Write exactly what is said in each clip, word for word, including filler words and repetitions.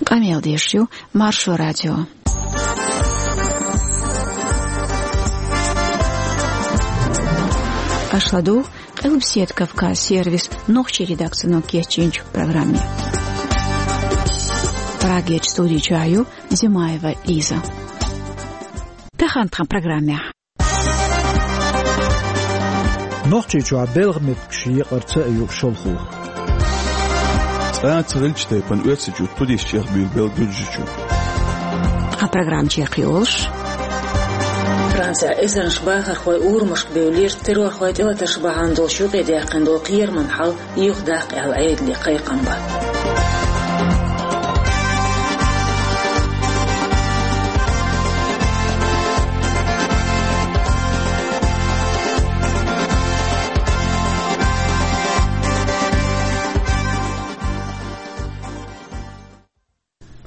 Къамел деш ю Маршо радио. Аша ладугӀу Къилбаседа Кавказ сервисан нохчийн редакцино кечйинчу программе. Прагерчу студи чохь ю Зимаева Лиза. Тахана тхан программехь. Нохчийчохь белхан меттигаш екъарца а ю шалхо. ЦӀа а ца хилча тайпана оьрсийчуьра туристаш чӀехбуьйлабелла Гуьржийчу. Тхан программа чекхйолуш. Францехь эзарнаш бахархой урамашка бевллера, террорхойн тӀелатарш бахьана долуш юкъедаьккхина долу кхераман хьал юхадаккха аьлла Ӏедале кхайкхам бан.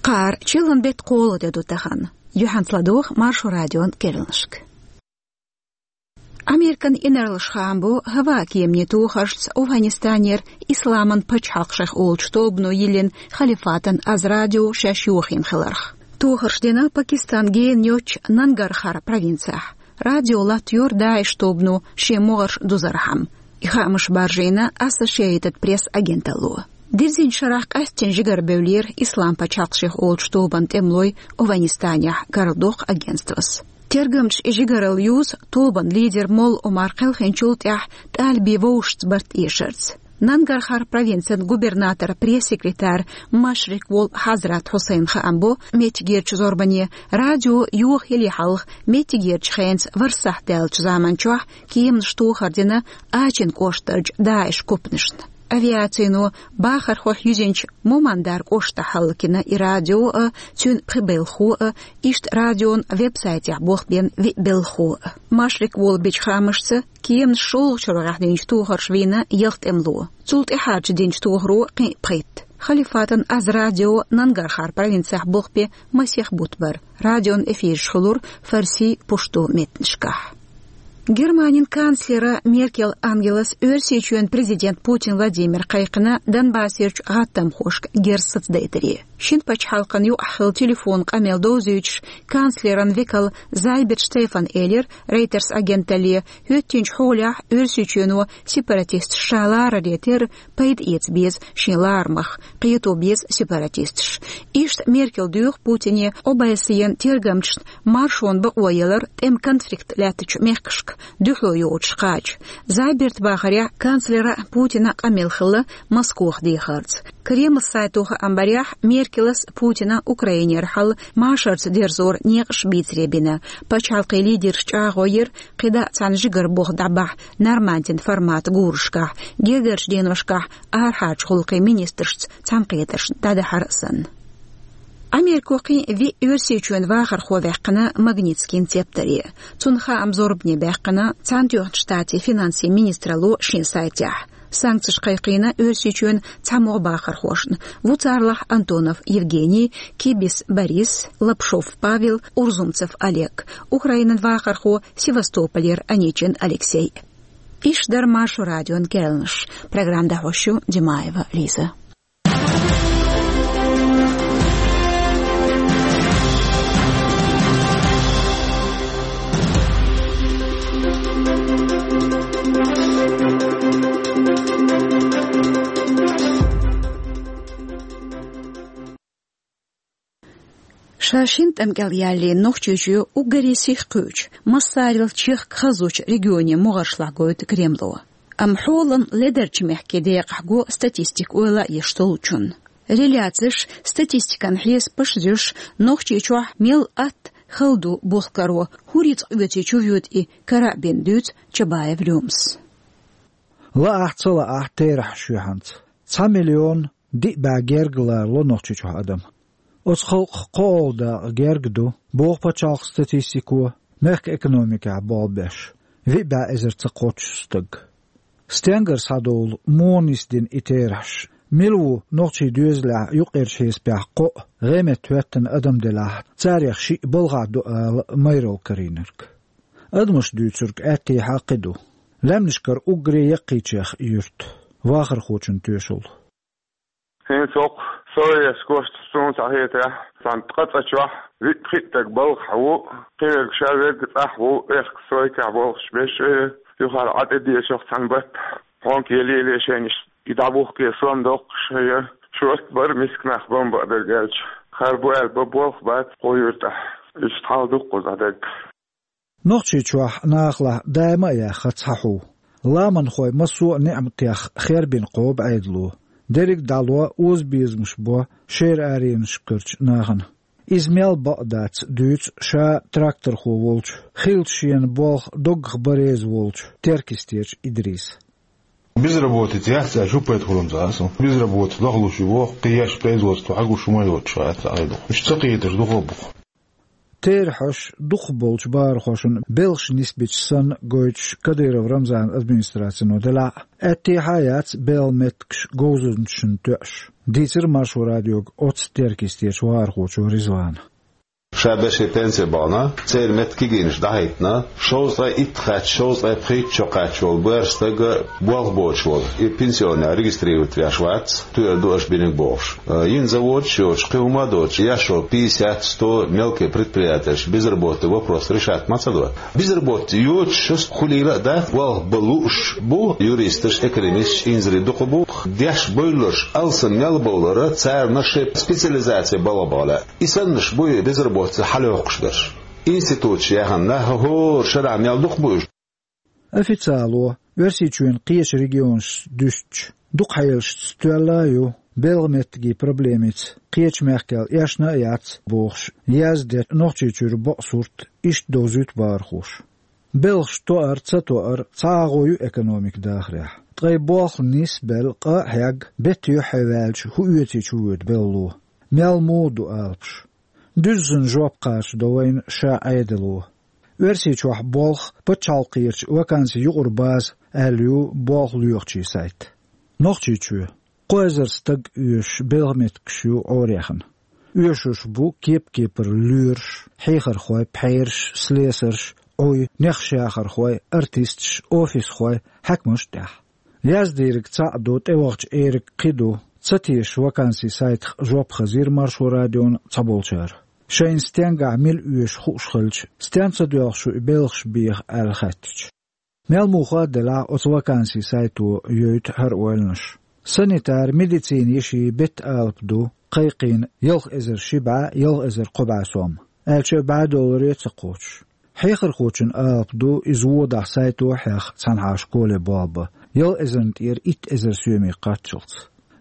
Кхара чиллан беттан кхоалгӀа де ду тахана. Юьхьанца ладогӀа Маршо радион керланашка. Американ инарлаша хаам бо хӀаваан кеманийн тохаршца Афганистанера Исламан пачхьалкх шайх олучу тобано йиллина халифатан аз радио шаьш йохийна хиларх. Тохарш дина Пакистан гена йоцчу Нангархар провинцехь. Радио латтайора ДАИШ тобано шен могӀарш дузархьама. И хаамаш баржийна Ассошиэйтед Пресс агенталло. Дирзинчу шарахь къаьсттина жигара бевллера Ислам пачхьалкх шайх олучу тобан тӀемалой Афганистанехь, карладоккху агентствос. Тергамчаша и жигаралла юзу тобан лидер молла Омар кхелхинчул тӀаьхьа тӀалибийн вовшашца барт эшарца. Нангархар провинцин губернаторан пресс-секретарь Машрик волу Хьазрат Хьусайн хаам бо меттигерчу зорбане радио йохаяле хьалха меттигерчу хенца варсахь даьллачу заман чохь кеманаш тохар дина Ачин кӀоштарчу ДАИШ купанашна. Авиацино бахархойх юьзинчу Мумандар кӀоштахь хӀаллакйина и радио а, цуьнан пхи белхахо а, иштта радион веб-сайтехь болх бен виъ белхахо а. Машрик волу бичу хаамашца, кеманаш шолгӀачу рогӀехь динчу тохарша вийна ялх тӀемало. Цул тӀаьхьарчу динчу тохаро кхин а пхийтта. Халифатан аз радио Нангархар провинцехь болх бен масех бутт бара. Радион эфираш хуьлура фарси, пушту меттанашкахь. Германин канцлера Меркел Ангелас Оьрсийчоьнан президент Путин Владимира кхайкхина Донбассерчу гӀаттамхошка герз сацадайтаре. Шина пачхьалкхан юкъахь хилла телефон къамел довзуьйтуш, канцлеран векал Зайберт Штефан элира Рейтерс агенталле, хӀоьттинчу хьолехь Оьрсийчоьно сепаратисташ ша лараре терра пайда эца беза шен ларамах, кхето беза сепаратисташ. Иштта Меркел доьху Путине Обайсиен тергамчашна маршонан бакъо ялар тӀеман конфликт лаьттачу мехкашка дуьхьало йоцуш кхача. Зайберта бахарехь, канцлера Путина къамел хилла Москох дехарца. Кремлан сайто хаам барехь, Меркелас Путина Украинера хьал машарца дерзоран некъаш бийцаре бина. Пачхьалкхийн лидерш чӀагӀо йира, кхидӀа а цхьана жигара болх дӀабахьа Нормандин форматан гурашкахь, гергарчу деношкахь арахьарчу гӀуллакхийн министрашца цхьаьнакхетаршна дӀадахьар а санна. Америко кхин а виъ Оьрсийчоьнан вахархо ваьккхина Магнитскийн цептаре. Цунна хаам зорбане баьккхина Цхьаьнатоьхначу Штатийн финансийн министралло шен сайтехь. Санкцеш кхайкхийна Оьрсийчоьнан цхьамогӀа бахархошна, ву царлахь Антонов Евгений, Кибис Борис, Лапшов Павел, Урзумцев Олег, Украинан вахархо Севастополера Аничин Алексей. Иш дара Маршо радион керланаш. Программа дӀахьош ю Димаева Лиза. Ша шина тӀам кӀел яьллина Нохчийчоь уггаре сиха кхуьучу, массарел чехка хазачу регионийн могӀаршлахь гойту Кремло. Амма хьолан ледарчу мехкийн декъахь го статистика ойла а еш долчунна. Реляцеш, статистикан хьесапаш а зуьйш, Нохчийчохь мел атта хала ду болх каро, хӀун рицкъ оьций чувоьду и кара а бина, дуьйцу Чабаев Лёмас. Лаахь а, ца лаахь а, терахьаш ю хӀинца. Цхьа миллион диъ бӀе герга ларало Нохчийчохь адам. Оцу халкъах кхоалгӀа дакъа герга ду, боху пачхьалкхан статистико, мехкан экономикехь болх беш виъ бӀе эзар ца кхоччуш стаг. Стенгара схьадолу, муха нисдина и терахьаш, мила ву нохчийн доьзалехь юккъерчу хьесапехь кхоъ, гӀеметтахӀоьттина адам делахь, царех шиъ балхахь ду ала майралла карийнарг? Адамаша дуьйцург аьттехьа кхин ду. Лаьмнашкара уггаре яккхийчех юрт, вахархочун тоьшалла. ХӀинца хӀокху Сойс кошта суна цхьа хетарехь, цхьана ткъа цӀа чохь виъ-пхиъ стаг балхахь ву, кхин верг ша верг цӀахь ву, эккха сойкахь болхуш беш, юхара Ӏа тӀе дешах цхьана батта. Хьонка еле-еле шайна иштта и дӀабухке сом доккхуш, я шорта бара миска нах бан баа берг аьлча. Хар бу аьлла бан болх бац кхо юьртахь. Иштта хьал ду кхузахь дерг. Нохчийчохь нахалахь даима а яьхна цхьа хьу. Ламанхой массо а неӀматех хербина кхобу Ӏедало. Дерриг а дӀало озабезамаш бо шера аренашкарчу нахана. Иза мел бакъ дац дуьйцу ша тракторхо волчу, хилча шена болх доггах бан реза волчу Теркйистечу Идриса. Безработица яц аьлча, хӀун пайда хуьлу-м цхьа а суна? Безработица лахлуш ю воху, кхин еш производство хьагуш хӀума йоцуш вац цхьа а дукха. Уьш ца кхеташ дукха а бу-кх. Теран хьоьш дукхахболчу бахархошна белхаш нисбича санна гойтуш Кадыров Рамзанан администрацино делахь а, аьттехьа а яц белхан меттигаш говзанчашна тоьуш, дийцира Маршо радиога оццу Теркйистечу вахархочо Ризвана. Ша бешшеран пенсе бахана, церан меттан кегийнаш дӀахӀиттина, шовзткъе итт кхаьчча, шовзткъе пхийтта шо кхаьчча волу боьрша стаг болх боцуш волу, и пенсионер регистрировать веш вац, тоьар ду аша бинарг бохуш. Э, йина заводаш а йоцуш, кхин хӀума а доцуш, еш йолу пятьдесят, сто мелкий предприятеш безработица вопрос решать ма ца до. Безработица йоцуш шаьш хуьлийла а дац, болх бан лууш бу юристаш, экономисташ, инзаре дукха бу. Деш бевлларш алсам мел бовлара, царна шайн специализация балха бахьа лаьа. И саннарш бу и безработица хьалайоккхуш берш. Институташ яьхна нах хӀора шарахь мел дукха бу уьш. Официало, Оьрсийчоьнан кхечу регионашца дуьстича, дукха хьелашца тоьлла а ю, белхан меттигийн проблемица кхечу мехкал эшна а яц бохуш, яздо Нохчийчуьра бакъ сурт, иштта довзуьйту бахархоша. Белхаш тоар, ца тоар цхьа агӀо ю экономика дахарехь. Ткъа и болх нисбелла къа а хьегна, бетта юьххье ваьлча, хӀун оьций чувоьду белхало? Мел муха ду алапаш? Дуьззина жоп кхачадо вайна ша Ӏедало. Оьрсийчохь болх пачхьалкхерчу вакансийн юкъара база аьлла ю болх лоьхучийн сайт. Нохчийчоь кхо эзар стаг оьшуш белхан меттигаш ю Ӏораяьхна. Оьшуш бу кеп-кепара лоьраш, хьехархой, пхьераш, слесарш, Ӏуй, нехаш яхархой, артисташ, офисхой, хьаькамаш а тӀехь. Яздийриг цхьаъ ду, тӀевахча эриг кхин ду, ца тешаш вакансийн сайтах жоп хазийра Маршо радиона цхьаболчара. Шайна стенгахь мила оьшу хууш хилча, стенна ца доьлху шу и белхаш беха аьлла хаьттича. Мел муха а делахь, оцу вакансийн сайто йойту хӀара ойланаш. Санитар, медицина йишин беттан алапа ду, кхайкхийна ялх эзар ши бӀе, ялх эзар кхо бӀе сом, аьлча а бӀе долларе а ца кхочуш. Хьехархочун алапа ду, иза водахь сайто а хьех цхьанхьа школе болх бан, ялх эзарна тӀера итт эзар соьме кхаччалц.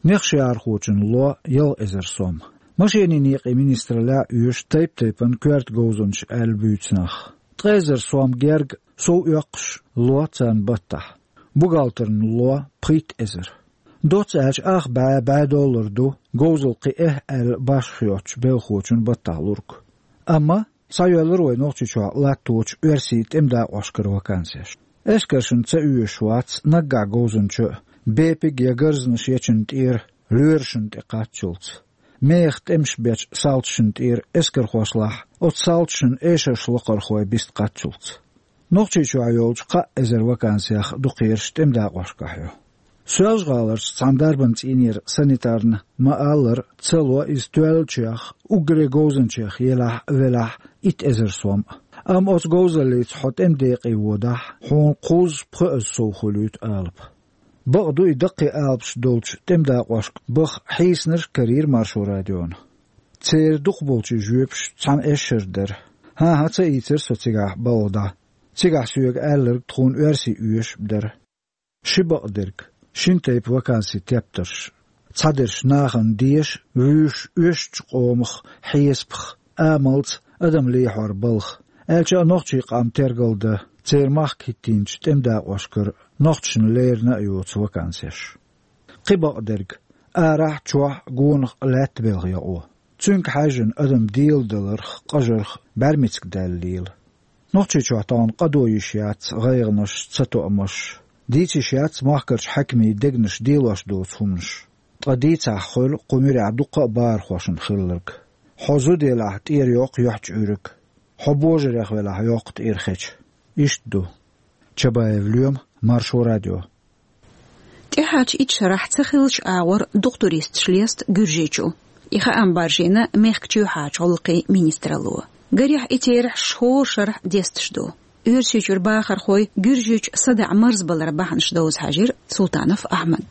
Нехаш яхархочун ло ялх эзар сом. Машенийн некъийн министраллехь а оьшу тайп-тайпана коьрта говзанчаш аьлла буьйцу нах. Ткъа эзар сом герга сов оьккхуш ло царна баттахь. Бухгалтерна ло пхийтта эзар. Доцца аьлча, ах бӀе, бӀе доллар ду говзалла кхин эхь аьлла башха йоцучу белхочун баттахь лург. Амма схьайоьллура вай Нохчийчохь латточу оьрсийн тӀеман дакъошкара вакансеш. Эскаршна ца оьшуш вац наггахь говзанча а, бепиг я гарзанаш ечун тӀера лоьрашна тӀе кхаччалц. Меха тӀемаш бечу салташна тӀера эскархошлахь, оцу салташна эшарш локхархой биста кхаччалц. Нохчийчохь йолчу кхаа эзар вакансех ду кхераш тӀеман дакъошкахь ю. Соьлжа-ГӀаларчу цхьана дарбан цӀийнера санитарна ма-аллара, ца ло иза тоьллачех, уггаре говзанчех елахь а, велахь а, итт эзар сом а. Амма оцу говзаллица хьо тӀеман декъе водахь, хьуна кхузза-пхоьазза сов хуьлуьйту алапа. Бакъ ду, и даккхий алапаш долчу тӀеман дакъошка баха хьийсинарш а карийра Маршо радиона. Церан дукхахболчийн жоьпаш цхьана эшшара дара. ХӀан-хӀа, ца ийцира со цигахь балха дӀа. Цигахь соьга аьлларг тхуна оьрсий оьшуш а дара. Ши бакъдерг, шина тайпа вакансийн тептарш. Цхьадерш нахана деша, вуьйш оьшучу къомах, хьесапах, амалца адам лехьор балха, аьлча а нохчийн къам тергалдан, церан махка хӀиттийначу тӀеман дакъошкара нохчашна леррина а йоцу вакансеш. Кхин бакъдерг, арахь а, чохь а, гонах а лаьтта белхан йокъо. Цуьнга хьаьжжина адам деладаларх, къажарх бӀаьрмециг даьлла лела. Нохчийчохь тахана къадо йиш яц гӀайгӀанаш, цатоамаш. Дийца йиш яц махкарчу хьаькамийн дегнаш делош доцу хӀуманаш. Ткъа дийцахь хуьлу кху муьрехь дуккха а бахархошна хилларг. Хьо зуда елахь, тӀера йоккху юьхьчу Ӏуьйриг. Хьо божарех велахь, йоккху тӀера хеча. Иштта ду. Чабаев Лоьма, Маршо радио. ТӀехьарчу итт шарахь ца хиллачу агӀор дукха туристаш леста Гуьржийчу. И хаам баржийна мехкан чоьхьарчу гӀуллакхийн министралло. Гарехь, и терахьаш хӀора шарахь десташ ду. Оьрсийчуьра бахархой Гуьржийчу садаӀа марзбаларан бахьанаш довза хьаьжира Султанов Ахьмад.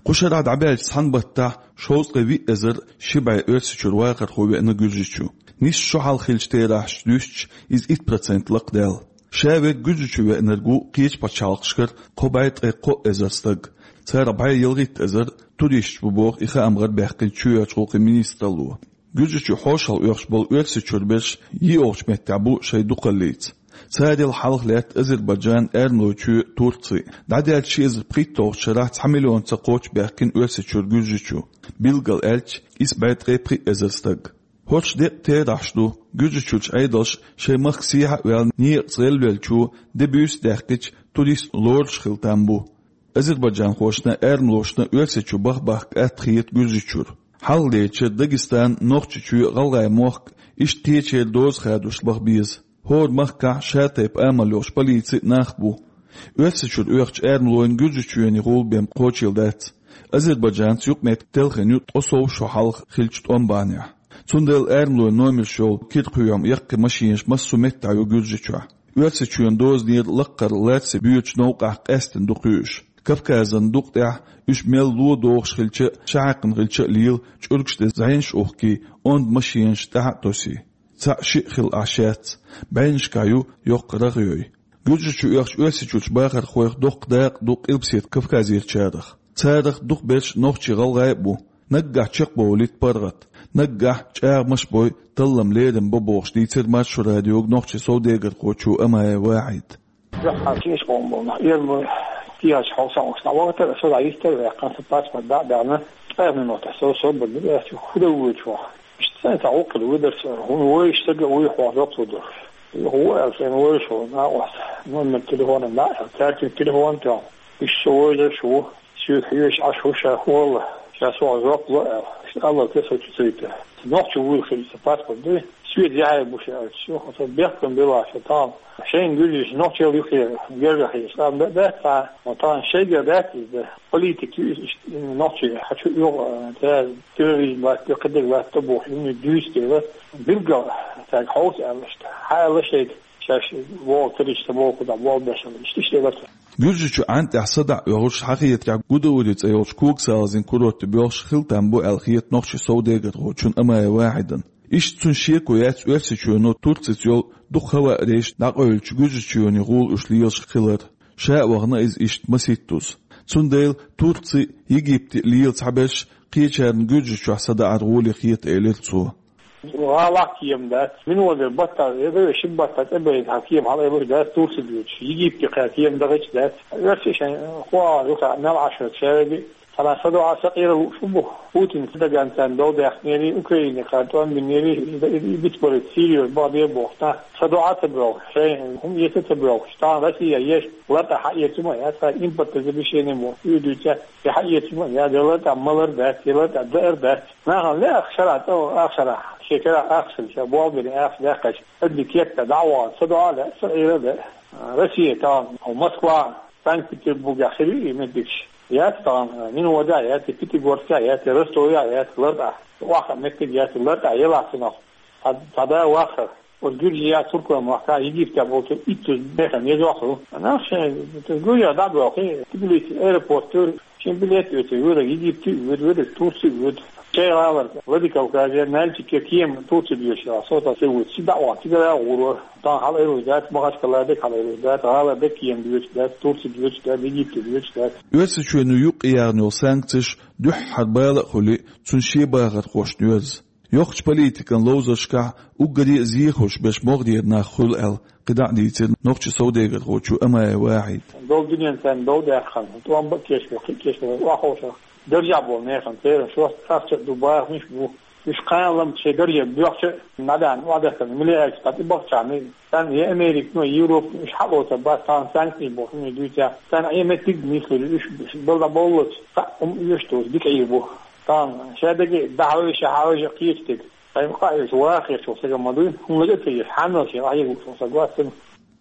Кху шарахь дӀабаьллачу цхьана баттахь шовзткъе виъ эзар ши бӀе Оьрсийчуьра вахархо веана Гуьржийчу. Нийсса шо хьалха хиллачу терахьашца дуьстича, иза итт процент лакхадаьлла. Ша верг Гуьржийчу веанарг ву кхечу пачхьалкхашкара кхо бӀе ткъе кхо эзар стаг. Царах бӀе ялхитта эзар туристаш бу боху и хаам гӀарабаьккхинчу чоьхьарчу гӀуллакхийн министралло. Гуьржийчу хьошалгӀа оьхуш болу Оьрсийчуьра берш йиъолгӀачу меттехь бу шайн дукхаллица. Царел хьалха лаьтта Азербайджан, Эрмалойчоь, Турци. ДӀадаьллачу ши эзар пхийтталгӀачу шарахь цхьа миллион ца кхоччу баьхкина Оьрсийчуьра Гуьржийчу, билггал аьлча, исс бӀе ткъе пхиъ эзар стаг. ХӀорш деккъа терахьаш ду, Гуьржийчуьрчу Ӏедалша шайн махка сехьа а ваьлла, некъаца гӀелвеллачо де-буьйса даьккхича, турист лоруш хила там бу. Азербайджанхошна, эрмалошна Оьрсийчу баха бахка атта хета Гуьржийчуьра. Хьалхалерчу Дагестан, Нохчийчоь, ГӀалгӀай мохк, иштта кхечеран доза хадош баха беза. ХӀора махкахь шатайпа амал йолуш полици а, нах а бу. Оьрсийчуьра оьхучу эрмалойн Гуьржийчоьне гӀула бен кхочийла дац. Азербайджанца юкъаметтиг телхина ю ткъе сов шо хьалха хиллачу тӀом бахьанехь. Цундела эрмалойн номерш йолу кира кхоьхьу яккхий машинаш массо а меттехь ю Гуьржийчохь. Оьрсийчоьнан дозанера лаккхара лаьцна боьдучу новкъахь къаьсттина ду кхуьуш. Кавказан дукъа тӀехь уьш мел ло догӀуш хилча а, шахьаькхна хилча а лела, чӀуьргаш тӀе зӀенаш а ухкий, онда машинаш тӀаьхьа а тосий. Цхьаъ-шиъ хилла Ӏаш яц, бӀеннашкахь ю йоккха рагӀ йой. Гуьржийчу оьхучу Оьрсийчуьрчу бахархойх доккха дакъа ду Къилбаседа Кавказерчарах. Царах дукхахберш нохчий, гӀалгӀай а бу. Наггахь чекхбовлуьйту паргӀат. Наггахь чӀагӀамаш а бой, таллам, лерам бо бохуш, дийцира Маршо радиога нохчийн совдегархочо Амаев Вахьида. Дуьххьара ши къоман болу нах, эрмалой, кхечу хьовсалгӀанаш дӀавахийтира, со дӀайистера ваьккхина, сан паспорт дӀа а баьхна, ткъе минотехь со собар дира, аьлла, хӀун дан воьдуш ву хьо? Иштта цхьа гӀуллакх хилла ву дара со, хӀунда воьдуш стаг а ву хьо, жоп лур дара. Хьо ву аьлла, шайна вевзаш волу накъост номер телефона дӀа а аьлла, цаьрца телефон а тоьхна, иштта со вевзаш ву, соьга хьоьжуш Ӏаш ву ша, хӀаллал, ша сох жоп ло аьлла, иштта аллал те со чу ца йита. Нохчо вуйла хилча, сан паспорт дуй, соьца яхье бу ша аьлча, ша хьо сан бехкам била ша тахана. Шайна гуьржийчу нохчалла юххе герга хьийзаш къам бе а дац цхьа, но тахана шайгара дац иза. Политика ю иза, иштта нохчий хьачу оьгӀу, а, цара терроризм латта, кхидерг латта бохуш, хӀума дуьйцу дела, билггал цаьрга хьовса аьлла иштта. Хьан аьлла шайга, шаьш вогӀу карийча ца боху кху дӀа болх беш аьлла, иштта, иштта элира цара. Гуьржийчу Ӏан тӀехь садаӀа оьхурш хьахетарехь Гудаури цӀе йолчу когасалазийн курорте боьлхуш хила там бу аьлла хета нохчийн совдегархочунна Амаев Вахьидна. Иштта цуьнан шеко яц Оьрсийчоьно Турцица йолу дукха хӀаваъ рейс дӀакъевлича Гуьржийчоьне гӀула уьш лелаш хилар. Ша а вахана иза иштта масийттаза. Цундела Турци, Египте лела цхьаберш кхечарна Гуьржийчохь садаӀар гӀоле хета, элира цо. ГӀалахь кема дац. Минотера баттахь, я вай ши баттахь тӀебайта хьан кема хьалаайбеш дац Турци доьдуш. Египте кхаьрда кема дахийташ дац. Оьрсий шайн хӀоа юха мел Ӏаш вац шаьрга. Цхьана садоӀа сакъера лууш бу. Путин Эрдоганца дов даьккхинера, Украине кхаьрда тӀом бинера, и, и, и бицбарийта Сирия баха бен бохуш. Цхьа садоӀа ца боьлхуш, шайн хӀума эца ца боьлхуш. Тахана Россия еш лартӀа хьаэца ма яц, цхьа импортозамещение бохуш, уьдуьйца, я хьаэца ма яц, я лартӀа малар дац, я лартӀа даар дац. Нахана лаьа ах шарахь, цӀа ах шарахь, шен карахь ах шарахь, ша болх бина ах шарахь даьккхича, адли кекта дӀа а вахана, садоӀа а лаьа, сакъера а лаьа. Россия тахана, Москва, Санкт-Петербургехь хир ю и меттигаш. Яц тахана, Минводехь яц, Пятигорскехь яц, Ростовехь яц, лартӀахь. Охьа меттиг яц, лартӀахь елахь цунах. Цхьа, цхьа да вахар. Оцу Гуьржия, Туркойн махкахь, Египте болчу итт зуда механа еза вахар ву. Нах шайн, Гуьржия дӀа а боьлхий, Тбилиси аэропорт ю, шен билет оьцу, верг Египте а воьду, верг Турци а воьду. Шайн гӀалара, Владикавказе, Нальчике кема Турци доьшуш, со тӀе ца воьду, цига дӀа а вахана, цигара а гӀур вара. Тахана хьалаайбеш дац, Махачкала дерг хьалаайбеш дац, гӀалара дерг кема доьшуш дац, Турци доьшуш дац, Египте доьшуш дац. Оьрсийчоьно юкъаяьхна йолу санкцеш дуьххьара бала а хуьлий, цуьнан шен бахархошна йоьрзу. Йоккхачу политикан ловзаршкахь уггаре а зехаш берш могӀарера нах хуьлу аьлла, кхидӀа а дийцира нохчийн совдегархочо Амаев Вахьида. Долу дуьненна царна дов даьккхина, тӀом бан а кечбелла, кхин а кечбелла, охьаховшах даржехь болу нехан церан шорта ахча а ду, бахамаш а бу. Уьш кхана лам шайн дарже боьхча а, набаьхна охьадахана, миллиардаш дӀа тӀе бахчахьана, царна я Американо, я Европано уьш хьалоцур бац, тахана санкцеш боху хӀума дуьйцахь, царна Ӏен меттиг а нислур ю, уьш балла боллалц, цхьаъ хӀума оьшуш доцу дика Ӏийр бу. Тахана шадерг а дӀахьовзий, ша хьовзий кхечу стеган. Шайн къа а йолуш, ваха хеташ волу стаг ма дуй, хӀуманаш а ца еш, хьанал шен къахьега лууш волу стаг вац цуьнан.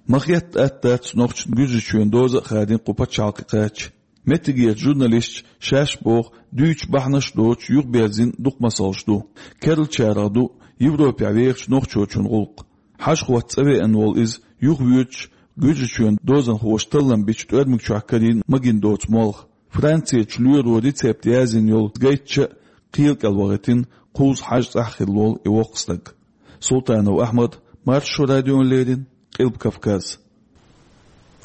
Ма хетта атта дац нохчашна Гуьржийчоьнан доза а хадийна кху пачхьалкхе кхаьчча. Меттигерчу журналисташа шаьш боху дуьйцучу бахьанаш доцуш юхаберзийна дукха масалш ду. Керлачарах ду Европехь вехачу нохчочун гӀуллакх. Хьажа-хӀотта цӀа веана волу иза юхавоьдуш, Гуьржийчоьнан дозанхоша таллам бича тӀоьрмиг чохь карийна магийна доцу молха. Францерчу лоьро рецепт яздина йолу гайтча а кхел кӀел вахийтина, кхузза хьажа цӀахь хилла волу и воккха стаг. Султанов Ахьмад, Маршо радиона леррина, Къилба Кавказ.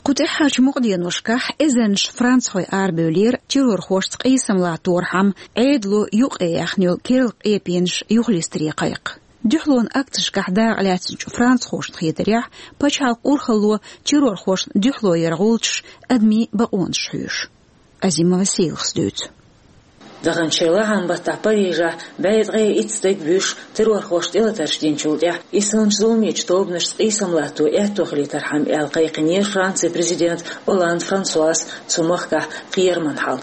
Кху тӀаьххьарчу мукъаденошкахь эзарнаш францхой арабевллера террорхошца къийсам латторхьама Ӏедало юкъаяьхна йолу керла къепенаш юхалистаре кхайкха. Дуьхьалонан акцешкахь дакъалаьцначу францхошна хетарехь, пачхьалкхан урхалло террорхошна дуьхьало яран гӀулчаш адамийн бакъонаш хьоьшу. Азимова Селахас дуьйцу. Даханчу шарахь лахьан баттахь Парижехь бӀе ткъе итт стаг буьйш террорхошна тӀелатарш динчул тӀаьхьа, исанчу зуламечу тобанашца къийсам латто аьтто хилийтархьама аьлла кхайкхинера Францин президент Олланд Франсуас цу махкахь кхераман хьал.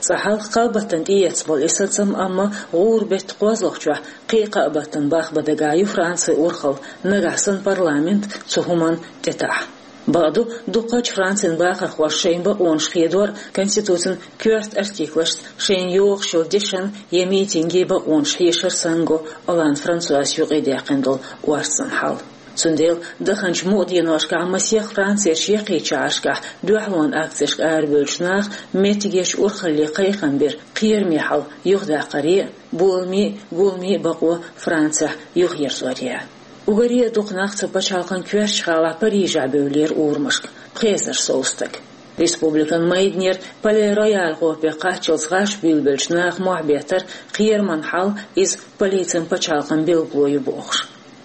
Цкъа хьалха кхаа баттана тӀеэцна болу и сацам, амма гӀуран беттан кхозлагӀчохь кхин а кхаа баттана бахбан дагахь ю Францин урхалла, нагахь санна парламент цу хӀуманна тӀетаӀахь. Бакъду, дукхачу Францин бахархоша шайн бакъонаш хедор конституцин коьрта артиклашца шайна йогӀуш йолу дешан я митинган бакъонаш хьешар санна го Олланд Франсуас юкъадаьккхина долу орцан хьал. Цундела даханчу мукъаденошкахь масех Францерчу яккхийчу шахьаршкахь дуьхьалонан акцешка арабевллачу наха меттигерчу урхалле кхайкхам бира кхераме хьал юхадаккхаре а, боламийн а, гуламийн а бакъо Францехь юхаерзоре а. Уггаре а дукха нах цу пачхьалкхан коьртачу гӀалахь Парижехь бевллера урамашка, пхи эзар сов стаг. Республикан майданера Пале-Рояль гӀопе кхаччалц гӀаш буьйлабеллачу наха мохь беттара кхераман хьал, иза полицин пачхьалкхан билгало ю бохуш.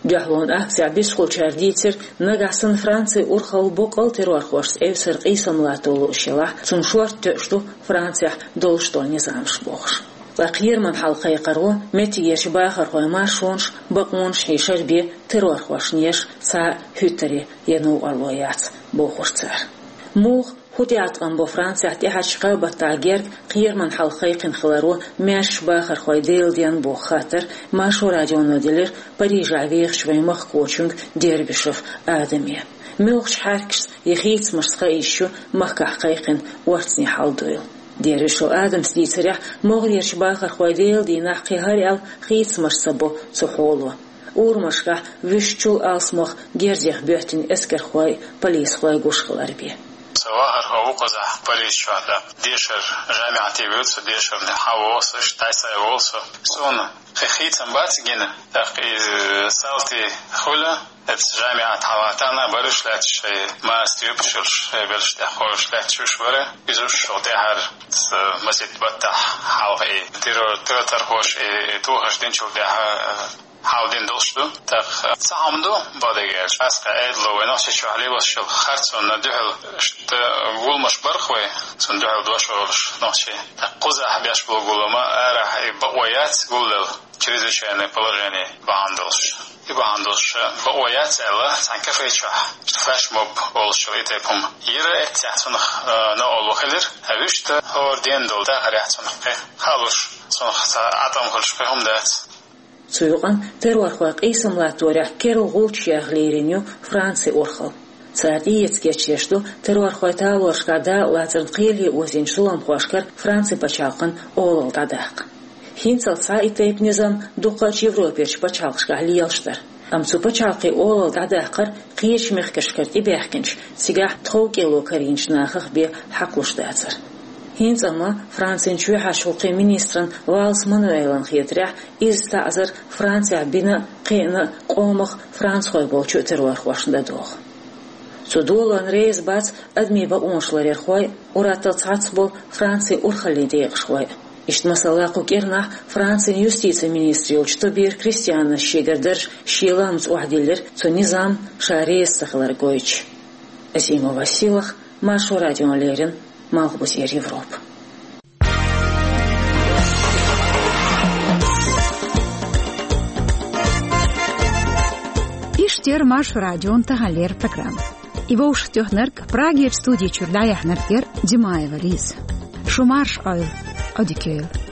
Дуьхьалонан акцехь бисхулчара дийцира, нагахь санна Францин урхалла боккъал террорхошца эвсара къийсам латто лууш елахь, цунна шорта тоьуш ду Францехь долуш долу низамаш бохуш. Ткъа кхераман хьал кхайкхаро меттигерчу бахархойн маршонаш, бакъонаш хьешар бен террорхошна еш цхьа а хӀуьттаре я новкъарло яц, бохура цара. Муха, хӀун тӀеӀаткъам бо Францехь тӀаьхьарчу кхаа баттахь герга кхераман хьал кхайкхина хиларо маьршачу бахархойн деладенна боху хаттар Маршо радионо делира Парижехь вехачу вайн махкахочуьнга Дербишев Адаме. Муьлхачу хьаьркашца я хийцамашца кхаийча ю махкахь кхайкхина орцанийн хьал дуйла. Дербишев Адамас дийцарехь, могӀарерчу бахархойн деладийнахь кхин хӀара аьлла хийцамаш ца бо цу хьоло. Урамашкахь вуьшта чул алсамох герзех боьттина эскархой, полисхой гуш хилар бен. Со вахархо ву кхузахь Париж чохь, тӀаккха дешар жамиӀате вуьйцу, дешарна хьан волу со, иштта дӀасай волу со. Суна кхин хийцам бац гина, тӀаккха иза салти хуьлу, эцца жамиӀат хьалатана бараш лаьтташ шайн маста юпаш йолуш, шайн белш тӀехь кхойуш лаьтташ уьш бара. Иза уьш шо тӀаьхьара, ца, масийтта баттахь хьалха и террор, террорхоша и, и тухарш динчул тӀаьхьа, э, хьал дина долуш ду. ТӀаккха ца хьама ду, бакъдерг аьлча, ас кхин Ӏедало вай Нохчийчохь лелош йолу харцонна дуьхьал иштта гуламаш барх вай, цунна дуьхьал дош олуш нохчий. ТӀаккха кхузахь беш болу гулам а, арахь и бакъо яц гулдала, чрезвычайное положение бахьана долуш. И бахьана долуш бакъо яц аьлла, цхьана кафе чохь флешмоб олуш йолу и тайпа хӀума йира, эццехь цунах, э, новкъарло хилира. А вуьшта хӀора ден долу дахарехь цунах кхин хаалуш, цунах цхьа Ӏа тӀом хуьлуш кхин хӀума дац. Цу юкъана террорхойн къийсам латторехь керла гӀулчаш яха лерина ю Францин урхалла. Цара тӀеэца кечъеш ду террорхойн талорашкахь дакъалацарна кхеле озийначу зуламхошкара Францин пачхьалкхан олалла дӀадаккха. ХӀинцалц схьа и тайпа низам дукхачу Европерчу пачхьалкхашкахь лелаш дара. Амма цу пачхьалкхийн олалла дӀадаккхар кхечу мехкашкара тӀебаьхкинчу, цигахь тхов кӀело карийначу нахах бен хьакхалуш дацара. ХӀинца амма Францин чоьхьарчу гӀуллакхийн министран Валс Мануэлан хетарехь, изза таӀзар Францехь бина а, кхиъна а къомах францхой болчу террорхошна дан догӀу. Цу долонна реза бац адамийн бакъонаш ларъярхой а, ур-атталла цхьацца болу Францин урхаллин декъашхой а. Иштта, масала, кху кӀирнахь Францин юстицин министр йолчу Тобиер Кристианас шегара дарж шен ламаца охьадиллира, цу низамна ша реза ца хилар гойтуш. Азимова Селах, Маршо радиона леррина, Малхбузера Европа. Иштта яра Маршо радион таханлера программа. И вовшахтоьхнарг, Прагерчу студи чуьра дӀаяьхьнарг яра Димаева Лиза. Шу марша Ӏойла, Ӏодика йойла.